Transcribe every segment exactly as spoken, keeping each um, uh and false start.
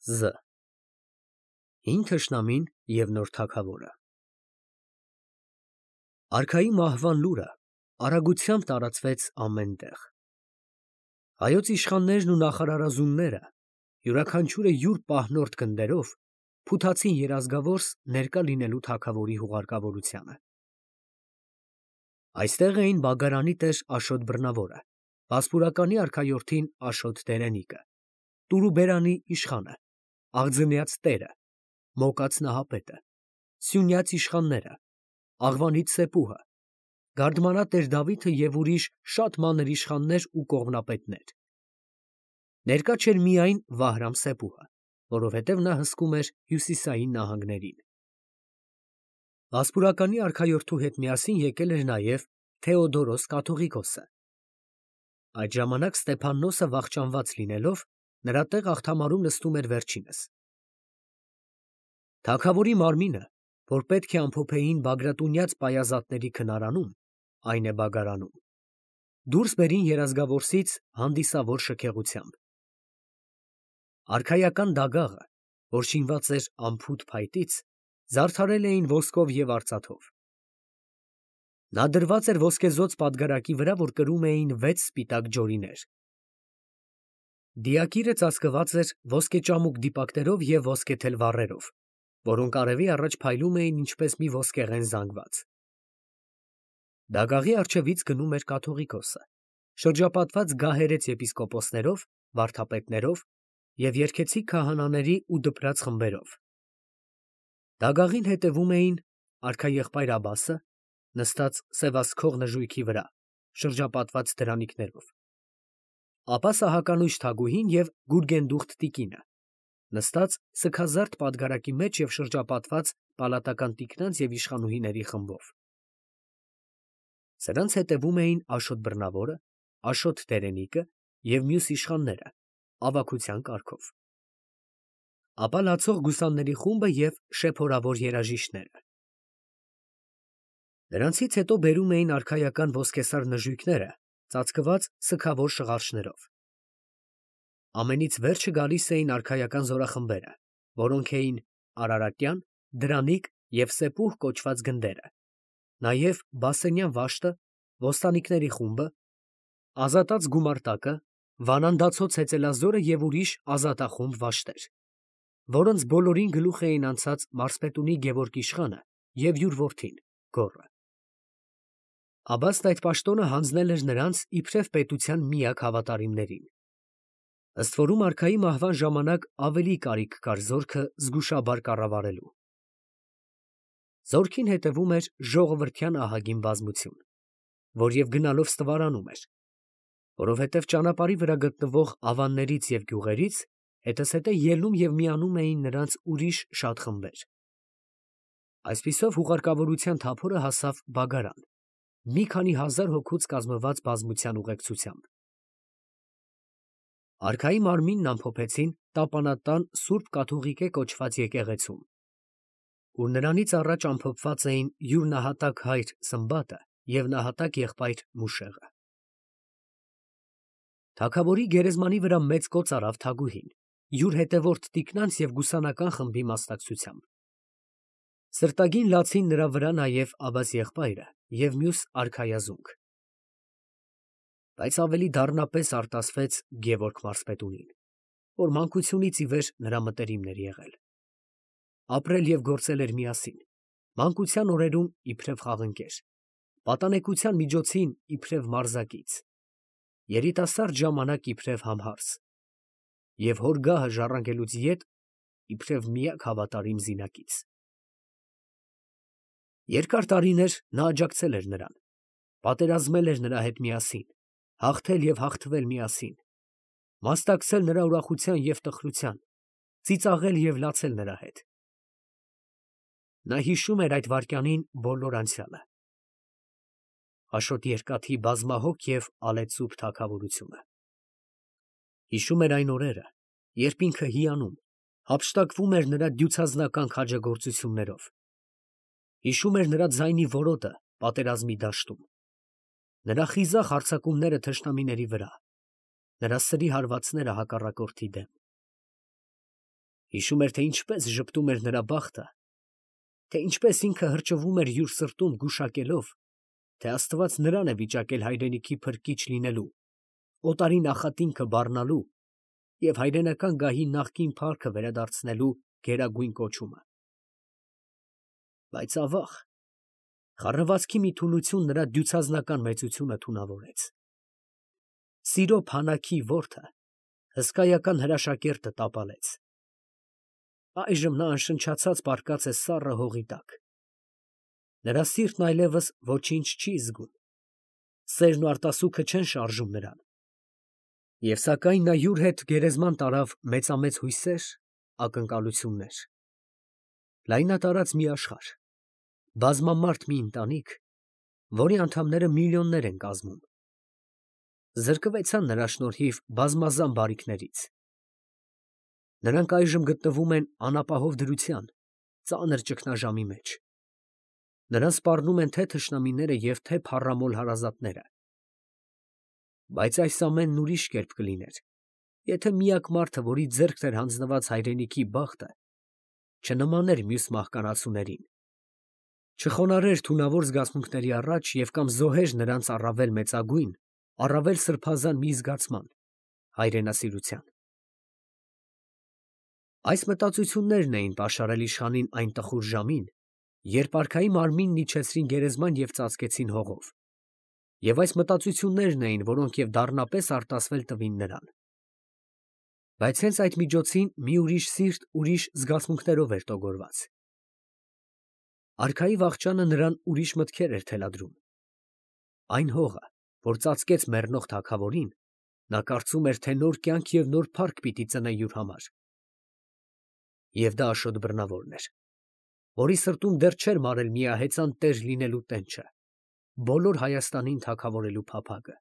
Զ. Հին թշնամին և նոր թագավորը։ Արքայի մահվան լուրը արագությամբ տարածվեց ամեն տեղ։ Հայոց իշխաններն ու նախարարազունները յուրաքանչյուրը յուր պահնորդ գնդերով փութացին երազգավորս ներկա լինելու թագավորի հուղարկավորությանը։ Այստեղ էին Բագարանի տեր Աշոտ Բռնավորը, Վասպուրականի արքայորդին Աշոտ Տերենիկը, Տուրուբերանի իշխանը, Աղձնյաց տերը, Մոկած Նահապետը, Սյունյաց իշխանները, Աղվանից Սեպուհը, Գարդմանատեր Դավիթը և ուրիշ շատ մանր իշխաններ ու կողմնապետներ։ Ներկա չէր միայն Վահրամ Սեպուհը, որովհետև նա հսկում էր հյուսիսային նահանգներին։ Վասպուրականի արքայորդու հետ միասին եկել էր նաև Թեոդորոս կաթողիկոսը։ Այդ ժամանակ Ստեփաննոսը վախճանված լինելով, նրա տեղ աղթամարում նստում էր վերջինս։ Թագավորի մարմինը, որ պետք է ամփոփեին Բագրատունյաց պայազատների քնարանում, այն է Բագարանում, դուրս բերին երազգավորսից հանդիսավոր շքեղությամբ։ Արքայական դագաղը, որ շինված էր անփութ փայտից, զարդարել էին ոսկով և արծաթով։ Նա դրված էր ոսկեզօծ պատգարակի վրա, որ կրում էին վեց սպիտակ ջորիներ։ Դիակիրը ծածկված էր ոսկեճամուկ դիպակներով և ոսկեթել վառերով, որոնք արևի առաջ փայլում էին ինչպես մի ոսկեղեն զանգված։ Դագաղի առջևից գնում էր կաթողիկոսը, շրջապատված գահերեց եպիսկոպոսներով, վարդապետներով և երգեցիկ քահանաների ու դպրաց խմբերով։ Դագաղին հետևում էին արքաեղբայր Աբասը, նստած սևասքող նժույգի վրա, շրջապատված դրանիկներով, ապա Սահականույժ Թագուհին և Գուրգենդուխտ տիկինը, նստած սգազարդ պատգարակի մեջ և շրջապատված պալատական տիկնանց և իշխանուհիների խմբով։ Սրանց հետևում էին Աշոտ Բռնավորը, Աշոտ Տերենիկը և մյուս իշխանները ավագության կարգով, ապա լացող գուսանների խումբը և շեփորավոր երաժիշտները։ Նրանցից հետո բերում էին արքայական ոսկեսար նժույգները ծածկված սգավոր շղարշներով։ Ամենից վերջը գալիս էին արքայական զորախմբերը, որոնք էին Արարատյան, Դրանիկ և Սեպուհ կոչված գնդերը, նաև Բասենյան Վաշտը, ոստանիկների խումբը, Ազատած գումարտակը, Վանանդացոց հեծելազորը և ուրիշ ազատախումբ վաշտեր, որոնց բոլորին գլուխ էին անցած մարզպետունի Գևորգ իշխանը և յուր որդին Գոռը։ Աբաստն այդ պաշտոնը հանձնել էր նրանց իբրև պետության միակ հավատարիմներին։ Ըստ որում արքայի մահվան ժամանակ ավելի կարիք կար զորքը զգուշաբար կառավարելու։ Զորքին հետևում էր ժողովրդյան ահագին բազմություն, որ և գնալով ստվարանում էր, որովհետև ճանապարհի վրա գտնվող ավաններից և գյուղերից հետզհետե ելնում և միանում էին նրանց ուրիշ շատ խմբեր։ Այսպիսով հուղարկավորության թափորը հասավ Բագարան, մի քանի հազար հոգուց կազմված բազմության ուղեկցությամբ։ Արքայի մարմինն ամփոփեցին Տապանատան Սուրբ Կաթուղիկե կոչված եկեղեցում, ուր նրանից առաջ ամփոփված էին յուր նահատակ հայր Սմբատը և նահատակ եղբայր Մուշեղը։ Թագավորի գերեզմանի վրա մեծ կոծ արավ Թագուհին, յուր հետևորդ տիկնանց և գուսանական խմբի մասնակցությամբ։ Սրտագին լացին նրա վրա նաև Աբաս եղբայրը և մյուս արքայազունգ։ Բայց ավելի դառնապես արտասվեց Գևորգ մարզպետունին, որ մանկությունից ի վեր նրա մտերիմն էր եղել։ Ապրել և գործել էր միասին, մանկության օրերում իբրև խաղընկեր, պատանեկության միջոցին իբրև մարզակից, երիտասարդ ժամանակ իբրև համհարս և հոր գահը ժառանգելուց ետ իբրև միակ հավատարիմ զինակից։ Երկար տարիներ նա աջակցել էր նրան, պատերազմել էր նրա հետ միասին, հաղթել և հաղթվել միասին, մասնակցել նրա ուրախության և տխրության, ծիծաղել և լացել նրա հետ։ Նա հիշում էր այդ վայրկյանին բոլոր անցյալը, Աշոտ Երկաթի բազմահոգ և ալեծուփ թագավորությունը։ Հիշում էր այն օրերը, երբ ինքը հիանում, հափշտակվում էր նրա դյուցազնական քաջագործություններով, հիշում էր նրա ձայնի որոտը պատերազմի դաշտում, նրա խիզախ հարձակումները թշնամիների վրա, նրա սրի հարվածները հակառակորդի դեմ։ Հիշում էր, թե ինչպես ժպտում էր նրա բախտը, թե ինչպես ինքը հրճվում էր յուր սրտում գուշակելով, թե Աստված նրան է վիճակել հայրենիքի փրկիչ լինելու, օտարի նախատինքը բառնալու և հայրենական գահի նախկին փառքը վերադարձնելու գերագույն կոչումը։ Բայց ավաղ, խառնվածքի մի թուլություն նրա դյուցազնական մեծությունը թունավորեց։ Սիրո փանակի որդը հսկայական հրաշակերտը տապալեց։ Այժմ նա անշնչացած պառկած է սառը հողի տակ։ Նրա սիրտն այլևս ոչինչ չի զգում, սերն ու արտասուքը չեն շարժում նրան։ Եվ սակայն նա յուր հետ գերեզման տարավ մեծամեծ հույսեր, ակնկալություններ, լայնատարած մի աշխարհ, բազմամարդ մի ընտանիք, որի անդամները միլիոններ են կազմում, զրկվեցան նրա շնորհիվ բազմազան բարիքներից։ Նրանք այժմ գտնվում են անապահով դրության, ծանր ճգնաժամի մեջ։ Նրան սպառնում են թե թշնամիները և թե փառամոլ հարազատները։ Բայց այս ամենն ուրիշ կերպ կլիներ, եթե միակ մարդը, որի ձեռքն էր հանձնված հայրենիքի բախտը, չնմաներ մյուս մահկանացուներին, չխոնարհեր թունավոր զգացմունքների առաջ և կամ զոհեր նրանց առավել մեծագույն, առավել սրբազան մի զգացման՝ հայրենասիրության։ Այս մտածություններն էին պաշարել իշխանին այն տխուր ժամին, երբ արքայի մարմինն իջեցրին գերեզման և ծածկեցին հողով, և այս մտածություններն էին, որոնք և դառնապես արտասվել տվին նրան։ Բայց հենց այդ միջոցին մի ուրիշ սիրտ ուրիշ զգացմունքներով էր տոգորված։ Արքայի վախճանը նրան ուրիշ մտքեր էր թելադրում։ Այն հողը, որ ծածկեց մեռնող թագավորին, նա կարծում էր, թե նոր կյանք և նոր փառք պիտի ծնե յուր համար։ Եվ դա Աշոտ Բռնավորն էր, որի սրտում դեռ չէր մարել միահեծան տեր լինելու տենչը, բոլոր Հայաստանին թագավորելու փափագը։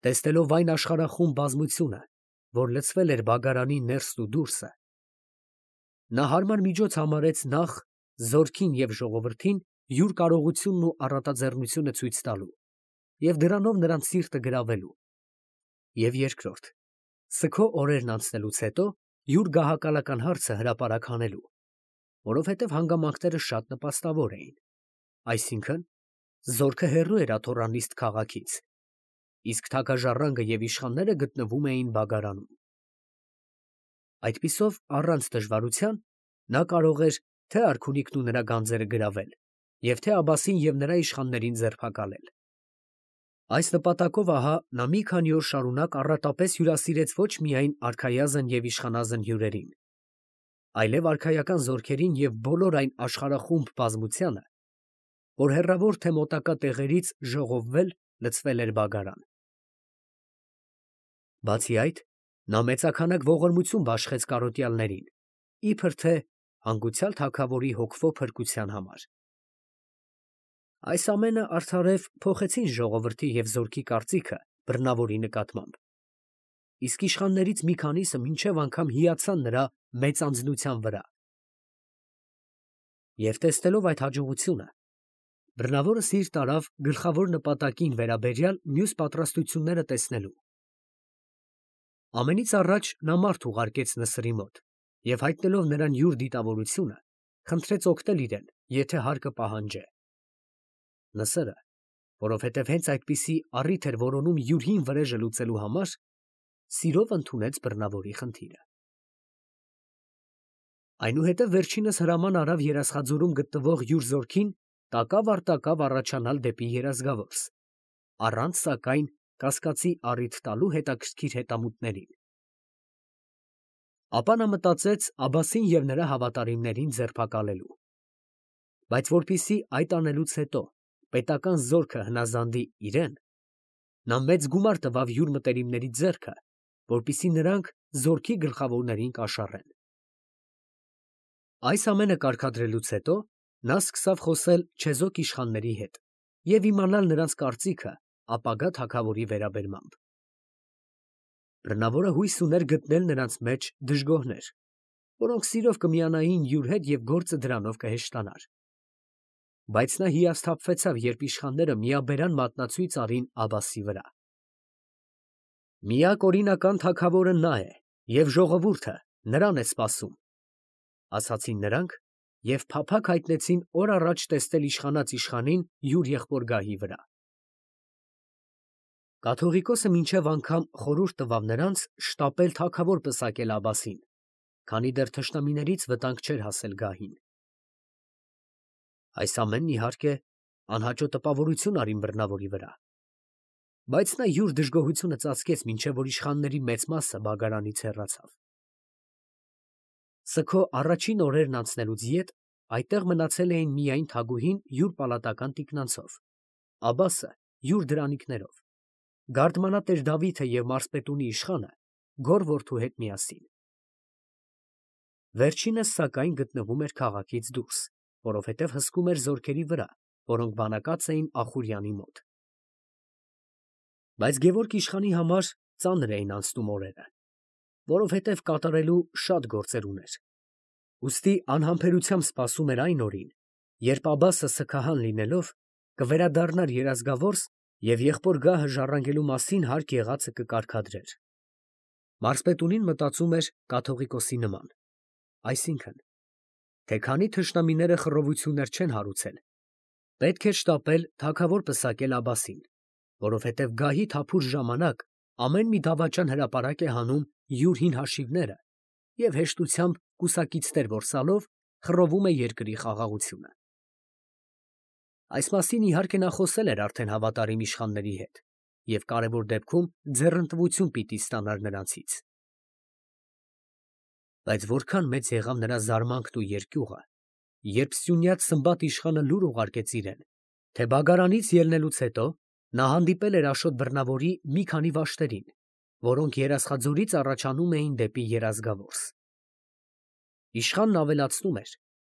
Տեսնելով այն աշխարհախումբ բազմությունը, որ լցվել էր բագարանի ներսն ու դուրսը, նա հարմար միջոց համարեց նախ զորքին և ժողովրդին յուր կարողությունն ու առատաձեռնությունը ցույց տալու և դրանով նրանց սիրտը գրավելու, և երկրորդ, սգո օրերն անցնելուց հետո յուր գահակալական հարցը հրապարակ հանելու, որովհետև հանգամանքները շատ նպաստավոր էին, այսինքն՝ զորքը հեռու էր աթոռանիստ քաղաքից, իսկ թագաժառանգը և իշխանները գտնվում էին բագարանում։ Այդպիսով, առանց դժվարության նա կարող էր թե՛ արքունիքն ու նրա գանձերը գրավել և թե՛ Աբբասին և նրա իշխաններին ձերբակալել։ Այս նպատակով ահա նա մի քանի օր շարունակ առատապես հյուրասիրեց ոչ միայն արքայազն և իշխանազն հյուրերին, այլև արքայական զորքերին և բոլոր այն աշխարհախումբ բազմությանը, որ հեռավոր թե մոտակա տեղերից ժողովվել լցվել էր բագարան։ Բացի այդ, նա մեծաքանակ ողորմություն բաշխեց կարոտյալներին, իբր թե հանգուցյալ թագավորի հոգվո փրկության համար։ Այս ամենը արդարև փոխեցին ժողովրդի և զորքի կարծիքը բռնավորի նկատմամբ, իսկ իշխաններից մի քանիսը մինչև անգամ հիացան նրա մեծանձնության վրա։ Եվ տեսնելով այդ հաջողությունը, բռնավորը սիրտ արավ գլխավոր նպատակին վերաբերյալ մյուս պատրաստությունները տեսնելու։ Ամենից առաջ նա մարդ ուղարկեց Նսրի մոտ և հայտնելով նրան յուր դիտավորությունը, խնդրեց օգնել իրեն, եթե հարկը պահանջե։ Նսրը, որովհետև հենց այդպիսի առիթ էր որոնում յուր հին վրեժը լուծելու համար, սիրով ընդունեց բռնավորի խնդիրը։ Այնուհետև վերջինս հրաման արավ Երասխաձորում գտնվող յուր զորքին տակավ առ տակավ առաջանալ դեպի Երազգավորս, առանց սակայն կասկածի առիթ տալու հետաքրքիր հետամուտներին։ Ապա նա մտածեց Աբբասին և նրա հավատարիմներին ձերբակալելու։ Բայց որպեսզի այդ անելուց հետո պետական զորքը հնազանդի իրեն, նա մեծ գումար տվավ յուր մտերիմների ձեռքը, որպեսզի նրանք զորքի գլխավորներին կաշառեն։ Այս ամենը կարգադրելուց հետո նա սկսավ խոսել չեզոք իշխանների հետ և իմանալ նրանց կարծիքը ապագա թագավորի վերաբերմամբ։ Բռնավորը հույս ուներ գտնել նրանց մեջ դժգոհներ, որոնք սիրով կմիանային յուր հետ և գործը դրանով կհեշտանար։ Բայց նա հիասթափվեցավ, երբ իշխանները միաբերան մատնացույց արին Աբբասի վրա։ Միակ օրինական թագավորը նա է, և ժողովուրդը նրան է սպասում, ասացին նրանք և փափագ հայտնեցին օր առաջ տեսնել իշխանած իշխանին յուր եղբոր գահի վրա։ Կաթողիկոսը մինչև անգամ խորհուրդ տվավ նրանց շտապել թագավոր պսակել Աբբասին, քանի դեռ թշնամիներից վտանգ չէր հասել գահին։ Այս ամենն, իհարկե, անհաճո տպավորություն արին բռնավորի վրա, բայց նա յուր դժգոհությունը ծածկեց, մինչև որ իշխանների մեծ մասը բագարանից հեռացավ։ Սգո առաջին օրերն անցնելուց ետ այդտեղ մնացել էին միայն թագուհին յուր պալատական տիկնանցով, Աբբասը յուր դրանիկներով, գարդմանատեր Դավիթը և մարզպետունի իշխանը գոր որդու հետ միասին։ Վերջինս, սակայն, գտնվում էր քաղաքից դուրս, որովհետև հսկում էր զորքերի վրա, որոնք բանակած էին Ախուրյանի մոտ։ Բայց Գևորգ իշխանի համար ծանր էին անցնում օրերը, որովհետև կատարելու շատ գործեր ուներ, ուստի անհամբերությամբ սպասում էր այն օրին, երբ Աբբասը սգահան լինելով կվերադառնար երազգավորս և եղբոր գահը ժառանգելու մասին հարկ եղածը կկարգադրեր։ Մարզպետունին մտածում էր կաթողիկոսի նման, այսինքն, թե քանի թշնամիները խռովություններ չեն հարուցել, պետք էր շտապել թագավոր պսակել Աբբասին, որովհետև գահի թափուր ժամանակ ամեն մի դավաճան հրապարակ է հանում յուր հին հաշիվները և հեշտությամբ կուսակիցներ որսալով խռովում է երկրի խաղաղությունը։ Այս մասին, իհարկե, նա խոսել էր արդեն հավատարիմ իշխանների հետ և կարևոր դեպքում ձեռնտվություն պիտի ստանար նրանցից։ Բայց որքան մեծ եղավ նրա զարմանքն ու երկյուղը, երբ սյունյաց Սմբատ իշխանը լուր ուղարկեց իրեն, թե բագարանից ելնելուց հետո նա հանդիպել էր Աշոտ բռնավորի մի քանի վաշտերին, որոնք Երասխաձորից առաջանում էին դեպի Երազգավորս։ Իշխանն ավելացնում էր,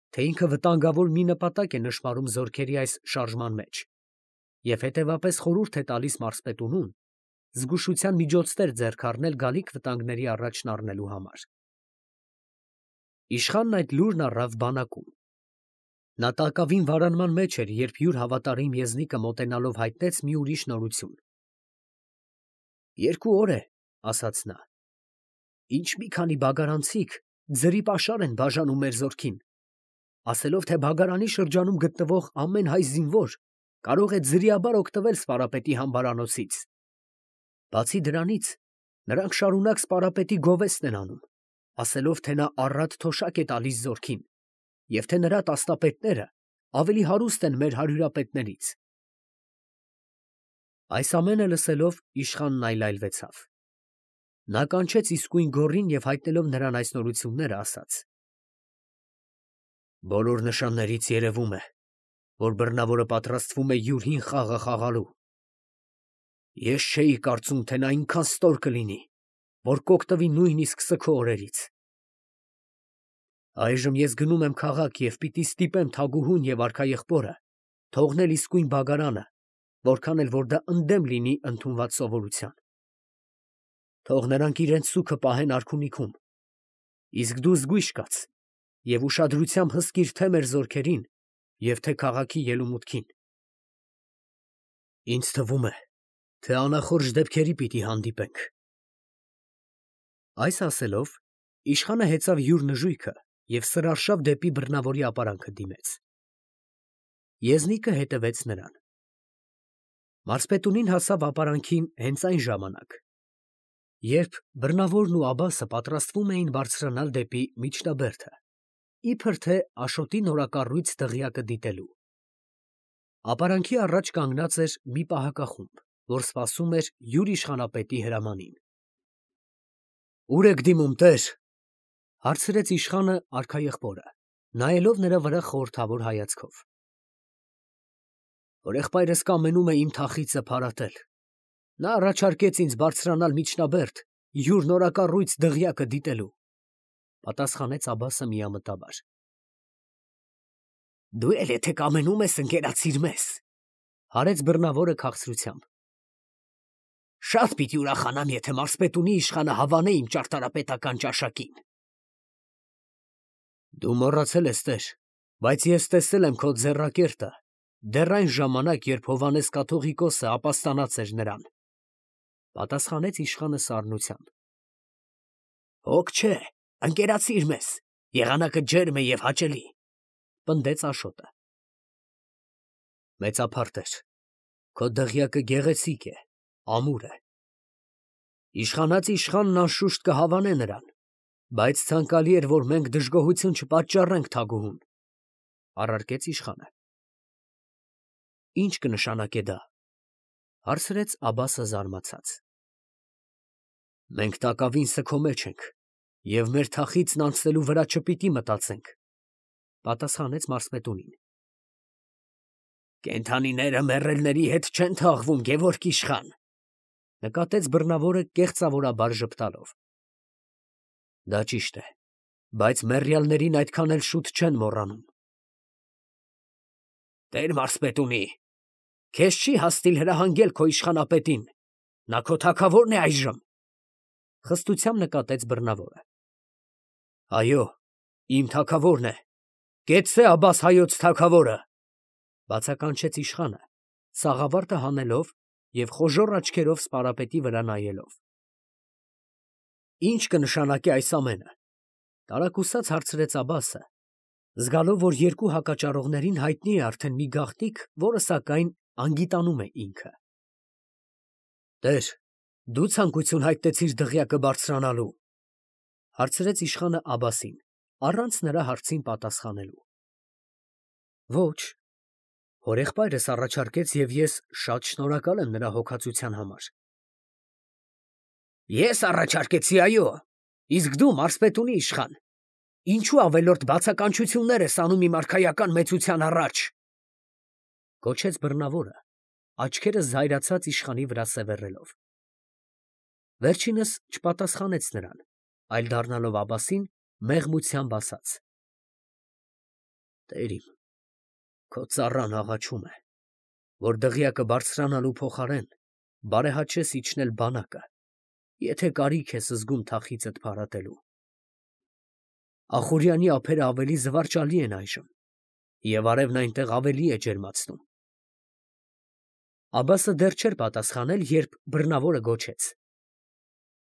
թե ինքը վտանգավոր մի նպատակ է նշմարում զորքերի այս շարժման մեջ և հետևապես խորհուրդ է տալիս մարզպետունուն զգուշության միջոցներ ձեռք առնել գալիք վտանգների առաջն առնելու համար։ Իշխանն այդ լուրն առավ բանակում։ Նա տակավին վարանման մեջ էր, երբ յուր հավատարիմ եզնիկը մոտենալով հայտնեց մի ուրիշ նորություն։ «Երկու օր է, ֊ ասաց նա, ֊ ինչ մի քանի բագարանցիք ձրի պաշար են բաժանում մեր զորքին, ասելով, թե բագարանի շրջանում գտնվող ամեն հայ զինվոր կարող է ձրիաբար օգտվել Սպարապետի համբարանոցից։ Բացի դրանից, նրանք շարունակ Սպարապետի գովեստն են անում, ասելով, թե նա առատ թոշակ է տալիս զորքին և թե նրա տասնապետները ավելի հարուստ են մեր հարյուրապետներից»։ Այս ամենը լսելով իշխանն այլայլվեցավ։ Նա կանչեց իսկույն գոռին և հայտնելով նրան այս նորությունները, ասաց. «Բոլոր նշաններից երևում է, որ բռնավորը պատրաստվում է յուր հին խաղը խաղալու։ Ես չէի կարծում, թե նա այնքան ստոր կլինի, որ կօգտվի նույնիսկ սգո օրերից։ Այժմ ես գնում եմ քաղաք և պիտի ստիպեմ թագուհուն և արքաեղբորը թողնել իսկույն բագարանը, որքան էլ որ դա ընդդեմ լինի ընդունված սովորության։ Թող նրանք իրենց սուգը պահեն արքունիքում, իսկ դու զգույշ կաց և ուշադրությամբ հսկիր թե՛ մեր զորքերին և թե՛ քաղաքի ելումուտքին։ Ինձ թվում է, թե անախորժ դեպքերի պիտի հանդիպենք»։ Այս ասելով, իշխանը հեծավ յուր նժույգը և սրարշավ դեպի բռնավորի ապարանքը դիմեց։ Եզնիկը հետևեց նրան։ Մարզպետունին հասավ ապարանքին հենց այն ժամանակ, երբ բռնավորն ու Աբբասը պատրաստվում էին բարձրանալ դեպի միջնաբերդը, իբր թե Աշոտի նորակառույց դղյակը դիտելու։ Ապարանքի առաջ կանգնած էր մի պահակախումբ, որ սպասում էր յուր իշխանապետի հրամանին։ «Ո՞ւր եք դիմում, տեր, ֊ հարցրեց իշխանը արքաեղբորը, նայելով նրա վրա խորհրդավոր հայացքով։ ֊ Հորեղբայրս կամենում է իմ թախիծը փարատել. նա առաջարկեց ինձ բարձրանալ միջնաբերդ յուր նորակառույց դղյակը դիտելու, ֊ պատասխանեց Աբբասը միամտաբար։ ֊ Դու էլ եթե կամենում ես, ընկերացիր մեզ, ֊ հարեց բռնավորը քաղցրությամբ։ ֊ Շատ պիտի ուրախանամ, եթե մարզպետունի իշխանը հավանե իմ ճարտարապետական ճաշակին։ ֊ Դու մոռացել ես, տեր, բայց ես տեսել եմ քո ձեռակերտը դեռ այն ժամանակ, երբ Հովհաննես կաթողիկոսը ապաստանած էր նրան, ֊ պատասխանեց իշխանը սառնությամբ։ ֊ Հոգ չէ, Ընկերացիր մեզ, եղանակը ջերմ է և հաճելի, պնդեց Աշոտը։ Մեծափարտ էր, քո դղյակը գեղեցիկ է, ամուր է։ Իշխանած իշխանն անշուշտ կհավանե նրան, բայց ցանկալի էր, որ մենք դժգոհություն չպատճառենք թագուհուն, առարկեց իշխանը։ Ի՞նչ կնշանակե դա, հարցրեց Աբասը զարմացած։ Մենք տակավին սգո մեջ ենք և մեր թախիծն անցնելու վրա չպիտի մտածենք, պատասխանեց մարզպետունին։ Կենդանիները մեռելների հետ չեն թաղվում, Գևորգ իշխան, նկատեց բռնավորը կեղծավորաբար ժպտալով։ Դա ճիշտ է, բայց մեռյալներին այդքան էլ շուտ չեն մոռանում։ Տեր մարզպետունի, քեզ չի հասցիլ հրահանգել քո իշխանապետին, նա քո թագավորն է այժմ, խստությամբ նկատեց բռնավորը։ Այո, իմ թագավորն է, կեցցե Աբաս հայոց թագավորը, բացականչեց իշխանը, սաղավարտը հանելով և խոժոռ աչքերով սպարապետի վրա նայելով։ Ի՞նչ կնշանակի այս ամենը, տարակուսած հարցրեց Աբասը, զգալով, որ երկու հակաճառողներին հայտնի է արդեն մի գաղտնիք, որը սակայն անգիտանում է ինքը։ Տեր, դու ցանկություն հայտնեցիր դղյակը բարձրանալու, հարցրեց իշխանը Աբասին, առանց նրա հարցին պատասխանելու։ Ոչ, հորեղբայրս առաջարկեց և ես շատ շնորհակալ եմ նրա հոգացության համար։ Ես առաջարկեցի, այո, իսկ դու մարզպետունի իշխան, ինչու ավելորդ բացականչություններ ես անում իմ արքայական մեծության առաջ, գոչեց բռնավորը, աչքերը զայրացած իշխանի վրա սևեռելով։ Վերջինս չպատասխանեց նրան, այլ դառնալով Աբասին, մեղմությամբ ասաց. Տեր իմ, քո ծառան աղաչում է, որ դղյակը բարձրանալու փոխարեն բարեհաճես իջնել բանակը, եթե կարիք ես զգում թախիծդ փարատելու։ Ախուրյանի ափերը ավելի զվարճալի են այժմ, և արևն այնտեղ ավելի է ջերմացնում։ Աբասը դեռ չէր պատասխանել, երբ բռնավորը գոչեց.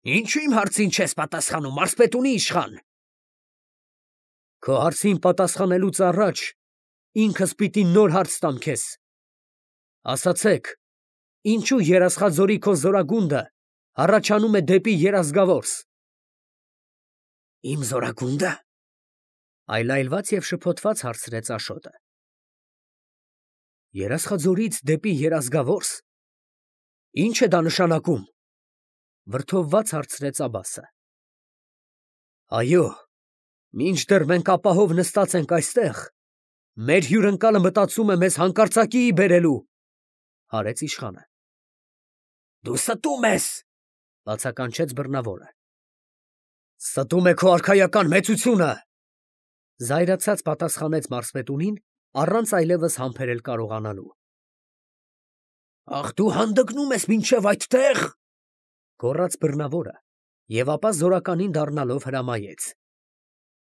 Ինչու իմ հարցին չես պատասխանում, մարզպետունի իշխան։ Քո հարցին պատասխանելուց առաջ ինքս պիտի նոր հարց տամ քեզ։ Ասացեք, ինչու Երասխաձորի քո զորագունդը հառաչանում է դեպի Երազգավորս։ Իմ զորագունդը, այլայլված և շփոթված հարցրեց Աշոտը։ Երասխաձորից դեպի Երազգավորս։ Ինչ է դա նշանակում, վրդովված հարցրեց Աբասը։ Այո, մինչդեռ մենք ապահով նստած ենք այստեղ, մեր հյուրընկալը մտածում է մեզ հանկարծակիի բերելու, հարեց իշխանը։ Դու ստում ես, բացականչեց բռնավորը։ Ստում է քո արքայական մեծությունը, զայրացած պատասխանեց մարզպետունին, առանց այլևս համբերել կարողանալու։ Ախ, դու հանդգնում ես մինչև այդտեղ, գոռաց բռնավորը, և ապա զորականին դառնալով հրամայեց.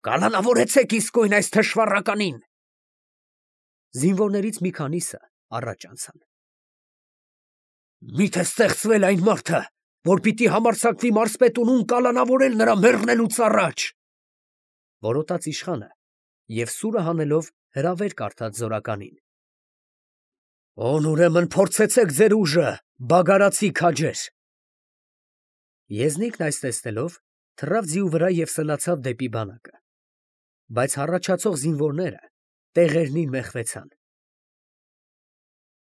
Կալանավորեցեք իսկույն այս թշվառականին։ Զինվորներից մի քանիսը առաջ անցան։ Մի՞թե ստեղծվել այն մարդը, որ պիտի համարձակվի մարզպետունուն կալանավորել նրա մեռնելուց առաջ, որոտաց իշխանը և սուրը հանելով հրավեր կարդաց զորականին։ Ո՛ւն ուրեմն փորձեցեք ձեր ուժը, բագարացի քաջեր։ Եզնիկն այս տեսնելով թռավ ձիու վրա և սլացավ դեպի բանակը, բայց հառաչացող զինվորները տեղերնին մեխվեցան։